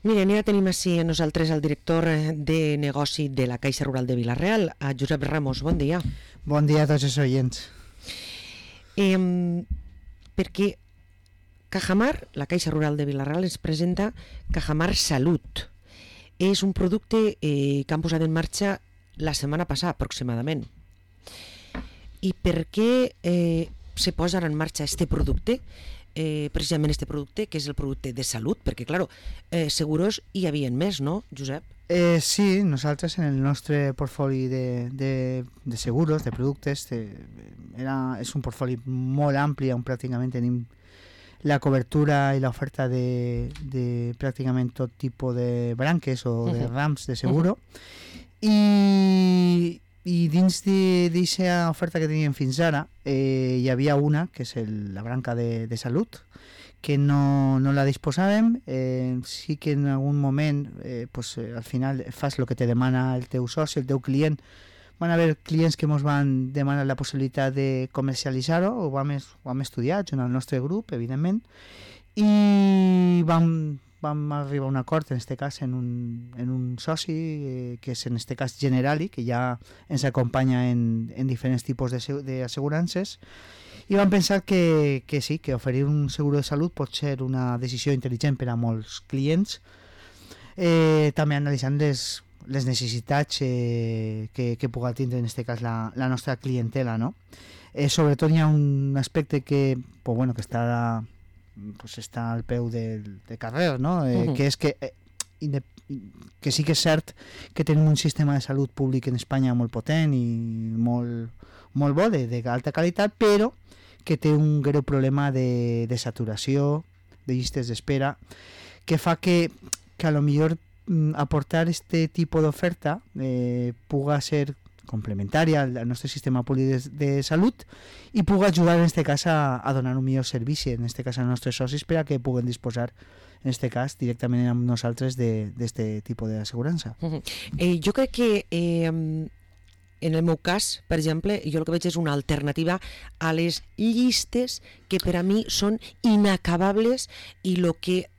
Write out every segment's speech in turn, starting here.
Miren, ja tenim així a nosaltres el director de negoci de la Caixa Rural de Vila-real, a Josep Ramos. Bon dia. Bon dia a tots els oients. Perquè Cajamar, la Caixa Rural de Vila-real, ens presenta Cajamar Salut. És un producte que han posat en marxa la setmana passada, aproximadament. I per què se posa en marxa este producte? Precisament este producte, que és el producte de salut, perquè, claro, seguros hi havia més, no, Josep? Sí, nosaltres en el nostre portfoli de seguros, de productes, és un portfoli molt ampli, on pràcticament tenim la cobertura i l'oferta de pràcticament tot tipus de branques o de rams de seguro. I dins d'aquesta oferta que teníem fins ara hi havia una, que és la branca de salut, que no la disposàvem. Sí que en algun moment al final fas el que te demana el teu soci, el teu client. Van haver clients que ens van demanar la possibilitat de comercialitzar-ho, ho vam estudiar junt al nostre grup, evidentment, i vam arribar a un acord, en aquest cas, en un soci, que és en aquest cas Generali, que ja ens acompanya en diferents tipus d'assegurances, i vam pensar que sí, que oferir un seguro de salut pot ser una decisió intel·ligent per a molts clients, també analitzant les necessitats que pugui tindre en aquest cas la nostra clientela, no? Sobretot hi ha un aspecte que està al peu del carrer, no? Que és que sí que és cert que tenim un sistema de salut públic en Espanya molt potent i molt bo, d'alta qualitat, però que té un greu problema de saturació, de llistes d'espera, que fa que a lo millor aportar este tipus d'oferta puga ser complementària al nostre sistema públic de salut i pugui ajudar en aquest cas a donar un millor servici, en aquest cas als nostres socis, per a que puguen disposar en aquest cas directament amb nosaltres d'aquest tipus d'assegurança. Jo crec que en el meu cas, per exemple, jo el que veig és una alternativa a les llistes que per a mi són inacabables i el que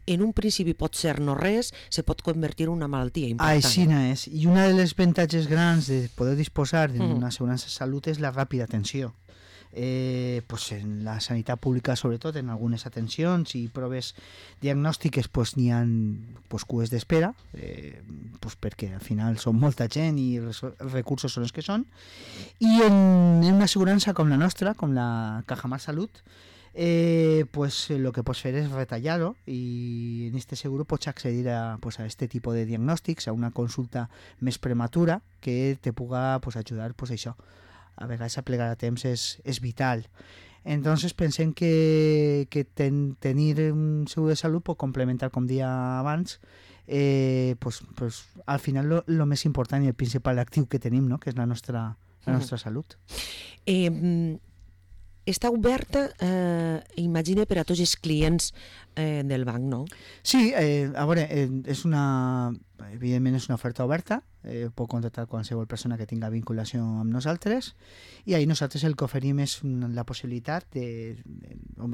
en un principi pot ser no res, se pot convertir en una malaltia important. Així és. I una de les avantatges grans de poder disposar d'una assegurança de salut és la ràpida atenció. En la sanitat pública, sobretot, en algunes atencions i proves diagnòstiques n'hi ha cues d'espera, perquè al final són molta gent i els recursos són els que són. I en una assegurança com la nostra, com la Cajamar Salut, lo que pots fer és retallar-ho i en este seguro pots accedir a este tipus de diagnòstics, a una consulta més prematura que te puga ajudar això. A vegades aplegar a temps és vital. Entonces pensem que tenir un seguro de salut pot complementar, com dia abans, al final lo més important i el principal actiu que tenim, no? Que és la nostra salut. Està oberta, imagina, per a tots els clients del banc, no? Sí, a veure, evidentment és una oferta oberta, pot contactar qualsevol persona que tinga vinculació amb nosaltres, i ahir nosaltres el que oferim és la possibilitat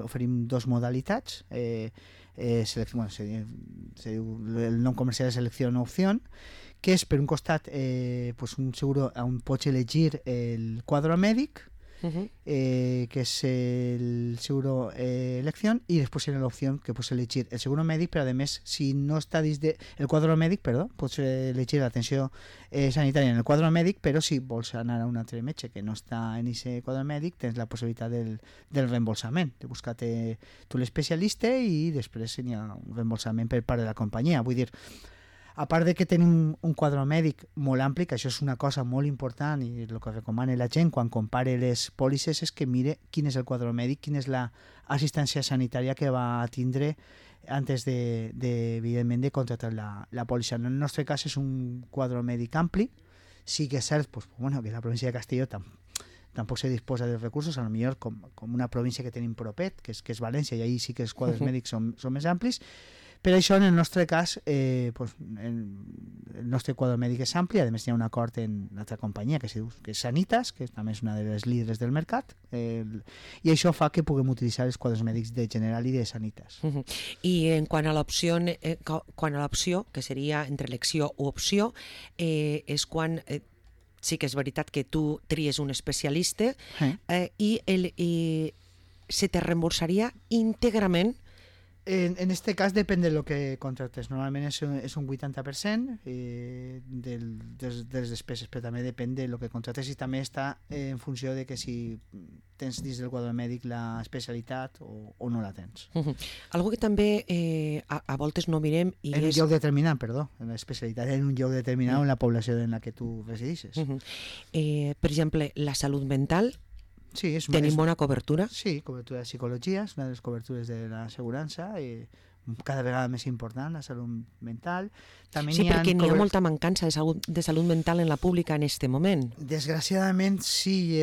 oferim dos modalitats, el nom comercial és selecció o opció, que és per un costat un seguro on pots elegir el quadre mèdic, que és el seguro elección, i després en l'opció que pots elegir el seguro mèdic, però a més, si no està dins del quadre mèdic, pots elegir l'atenció sanitària en el quadre mèdic, però si vols anar a un altre metge que no està en aquest quadre mèdic, tens la possibilitat del reembolsament, de buscar-te tu l'especialista i després hi ha un reembolsament per part de la companyia. Vull dir, a part de que tenim un quadre mèdic molt ampli, que això és una cosa molt important i el que recomana la gent quan compare les pòlisses és que mire quin és el quadre mèdic, quina és l'assistència sanitària que va tindre antes evidentment, de contractar la pòlissa. En el nostre cas és un quadre mèdic ampli, sí que és cert que la província de Castelló tampoc se disposa de recursos, a lo millor com una província que tenim propet, que és València, i ahí sí que els quadres mèdics són més amplis, Per això, en el nostre cas, pues, el nostre quadre mèdic és ampli, a més hi ha un acord en l'altra companyia que és Sanitas, que també és una de les líders del mercat, i això fa que puguem utilitzar els quadres mèdics de General i de Sanitas. I en quant a l'opció, que seria entre elecció o opció, és quan sí que és veritat que tu tries un especialista i se te reembolsaria íntegrament. En este cas depèn de lo que contractes. Normalment és un 80% de les despeses, però també depèn de lo que contractes i també està en funció de que si tens dins del quadre mèdic la especialitat o no la tens. Algo que també a voltes no mirem i en un lloc determinat, perdó, en l'especialitat en un lloc determinat en la població en la que tu resideixes. Per exemple, la salut mental. Sí, tenim bona cobertura? Sí, cobertura de psicologia, és una de les cobertures de l'assegurança, cada vegada més important, la salut mental. També sí, perquè n'hi ha molta mancança de salut mental en la pública en aquest moment. Desgraciadament sí,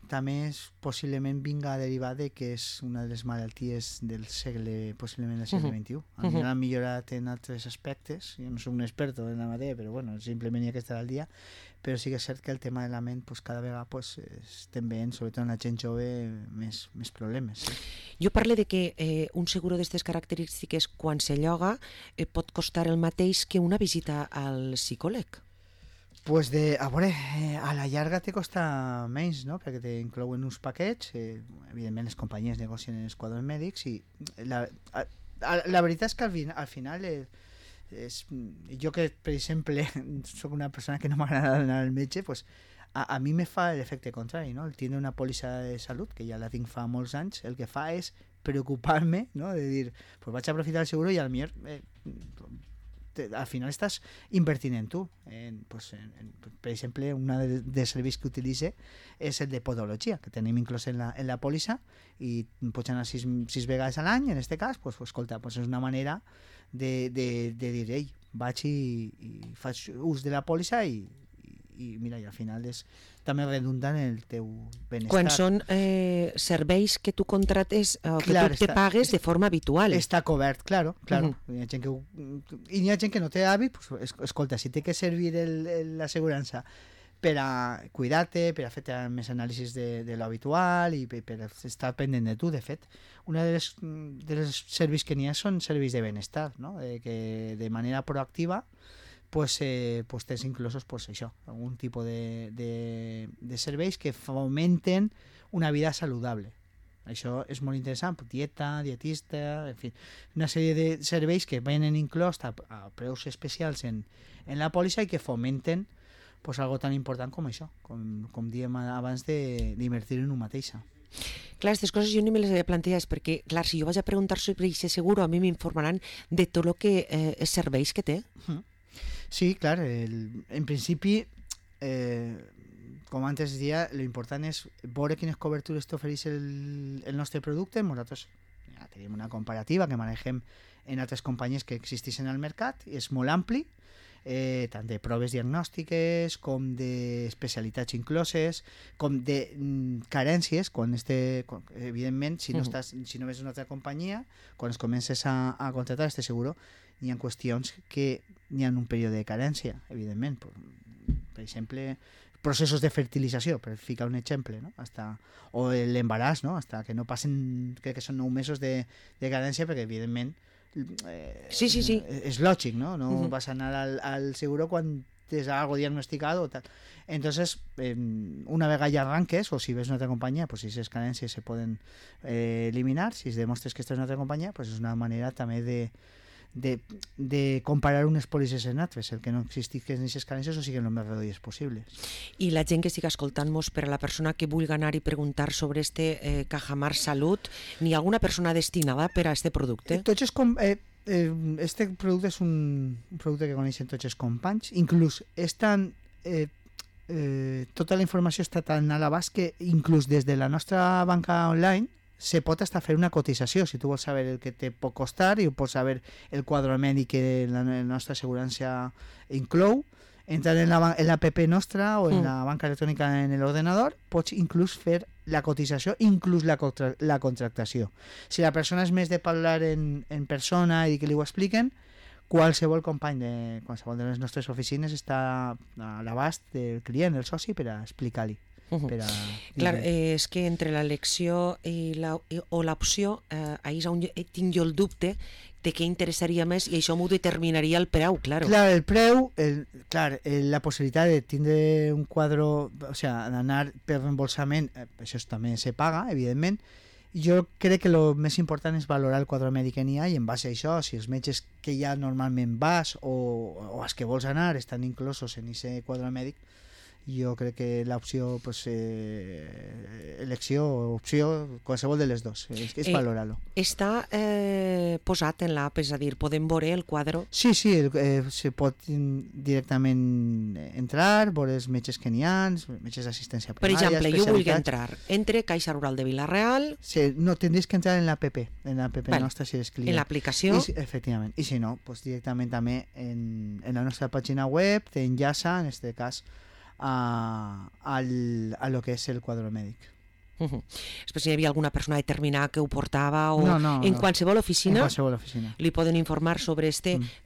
també possiblement vinga a derivar de que és una de les malalties del segle, possiblement del segle XXI. Ha millorat en altres aspectes, jo no soc un experto en la matèria, però bueno, simplement hi ha que estar al dia, però sí que és cert que el tema de la ment cada vegada estem veient, sobretot en la gent jove, més problemes. Jo parlo de que un seguro d'aquestes característiques, quan se lloga, pot costar el mateix que una visita al psicòleg. Pues a veure, a la llarga te costa menys, no? Perquè t'inclouen uns paquets, evidentment les companyies negocien els quadres mèdics i la veritat és que al final jo que, per exemple, soc una persona que no m'agrada anar al metge, pues a mi me fa l'efecte contrari, no? El tindre una pòlissa de salut, que ja la tinc fa molts anys, el que fa és preocupar-me, no? De dir, pues vaig a aprofitar el seguro i al millor al final estàs invertint en tu. Per exemple, un dels serveis que utilitzo és el de podologia, que tenim inclòs en la pòlissa i pots anar 6 vegades a l'any, en aquest cas, pues, escolta, pues és una manera de dir, ei, vaig i faig ús de la pòlissa i mira, i al final és també redundant el teu benestar. Quan són serveis que tu contrates o que tu te pagues de forma habitual. Està cobert, claro. Hi ha gent hi ha gent que no té hàbit, pues, escolta, si té que servir l'assegurança per a cuidar-te, per a fer més anàlisis de l'habitual i per estar pendent de tu. De fet, un dels serveis que n'hi ha són serveis de benestar, no? Que de manera proactiva pues tens inclosos això, algun tipus de serveis que fomenten una vida saludable. Això és molt interessant, dieta, dietista, en fi, una sèrie de serveis que venen inclòs a preus especials en la pòlissa i que fomenten algo tan important com això, com dèiem abans d'invertir en un mateixa. Clar, aquestes coses jo ni me les havia plantejat perquè, clar, si jo vaig a preguntar sobre aquest seguro, a mi m'informaran de tot el que els serveis que té. Sí, clar, en principi, com antes deia, l'important és veure quines cobertures t'ofereix el nostre producte. Nosaltres ja tenim una comparativa que manegem en altres companyies que existeixen al mercat, és molt ampli, tant de proves diagnòstiques com d'especialitats incloses, com de carències, evidentment, si no ves una altra companyia, quan es comences a contratar este seguro, hi ha qüestions que hi ha un període de carència, evidentment. Per exemple, processos de fertilització, per ficar un exemple, no? O l'embaràs, no? Hasta que no passen, crec que són 9 mesos de carència, perquè evidentment sí. És lògic, no? No vas a anar al seguro quan tens algo diagnosticado o tal. Entonces, una vegada ja arranques, o si ves una altra companyia, pues si esas carències se poden eliminar, si es demostres que estàs en una altra companyia, pues és una manera també de comparar unes pòlisses en altres, el que no existisquen aquestes carències o siguin el més reduïdes possibles. I la gent que estigui escoltant-nos, per a la persona que vulgui anar i preguntar sobre Cajamar Salut, n'hi ha alguna persona destinada per a este producte? Este producte és un producte que coneixen tots els companys, inclús tota la informació està tan a l'abast que inclús des de la nostra banca online se pot estar fer una cotització, si tu vols saber el que te pot costar i pots saber el quadre mèdic que la nostra assegurança inclou, Entrar en l'app nostra o en la banca electrònica en l'ordenador, pots inclús fer la cotització, inclús la contractació. Si la persona és més de parlar en persona i que li ho expliquen, qualsevol company de qualsevol de les nostres oficines està a l'abast del client, el soci, per a explicar-li. Clar, és que entre l'elecció o l'opció, ahir és on tinc jo el dubte de què interessaria més i això m'ho determinaria el preu, clar. Clar, el preu, la possibilitat de tindre un quadre, o sigui, d'anar per reembolsament, això també se paga, evidentment. Jo crec que el més important és valorar el quadre mèdic que n'hi ha i en base a això, si els metges que ja normalment vas o els que vols anar estan inclosos en aquest quadre mèdic, jo crec que l'opció, elecció o opció, qualsevol de les dues, és valorar-lo. Està posat en l'app, és a dir, podem veure el quadre? Sí, se pot directament entrar, veure els metges que n'hi ha, metges d'assistència primària. Per exemple, jo vull entrar, entre Caixa Rural de Vila-real... Sí, no, tindries que entrar en l'APP, nostra si eres client. En l'aplicació? Efectivament, i si no, directament també en la nostra pàgina web t'enllaça, en aquest cas, a lo que és el quadre mèdic. Després si hi havia alguna persona determinada que ho portava o en qualsevol oficina, li poden informar sobre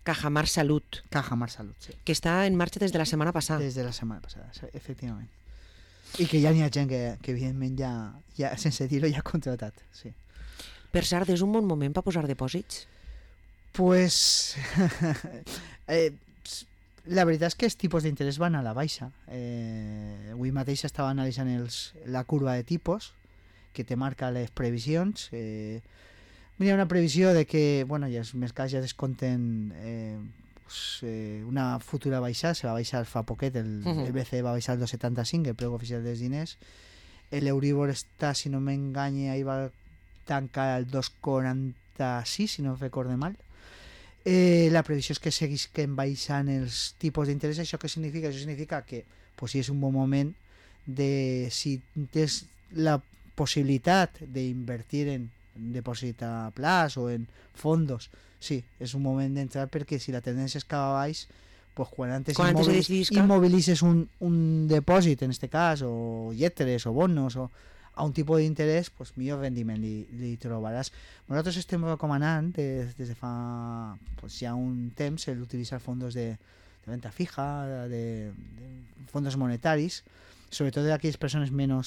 Cajamar Salut. Cajamar Salut, sí. Que està en marxa des de la setmana passada. Des de la setmana passada, efectivament. I que ja n'hi ha gent que evidentment ja sense dir-ho ja ha contratat, sí. Per cert, és un bon moment per posar dipòsits? Pues... la veritat és que els tipus d'interès van a la baixa. Avui mateix estava analitzant la curva de tipus que te marca les previsions. Hi ha una previsió de que ja els mercats ja descompten una futura baixada. Se va baixar fa poquet, el BCE va baixar el 2,75, el preu oficial dels diners. L'Euribor està, si no m'enganya, ahir va tancar el 2,46, si no recordo mal. La previsió és que seguisquen baixant els tipus d'interès. Això què significa? Això significa que si és un bon moment si tens la possibilitat d'invertir en depòsit a plaç o en fondos, sí, és un moment d'entrar, perquè si la tendència és cap a baix, quan antes immobilitzes un depòsit, en aquest cas, o lletres o bonos o a un tipus d'interès, millor rendiment li trobaràs. Nosaltres estem recomanant des de fa ja un temps l'utilitzar fondos de venda fija, de fondos monetaris, sobretot d'aquelles persones més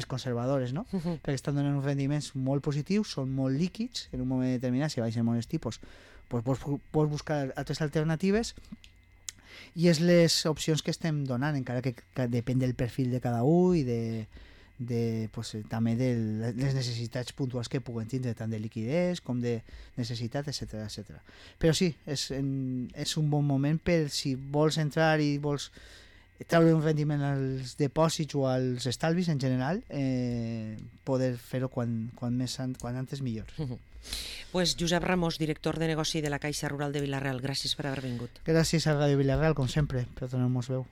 conservadores, no? Perquè estan donant uns rendiments molt positius, són molt líquids, en un moment determinat, si baixen molts tipus, pots buscar altres alternatives. I és les opcions que estem donant, encara que depèn del perfil de cada un i també de les necessitats puntuals que puguen tindre, tant de liquidez com de necessitat, etc. Però sí, és un bon moment per, si vols entrar i vols treure un rendiment als depòsits o als estalvis en general, poder fer-ho quan antes millor. Pues Josep Ramos, director de negoci de la Caixa Rural de Vila-real, gràcies per haver vingut. Gràcies a Ràdio Vila-real, com sempre, per donar-nos veu.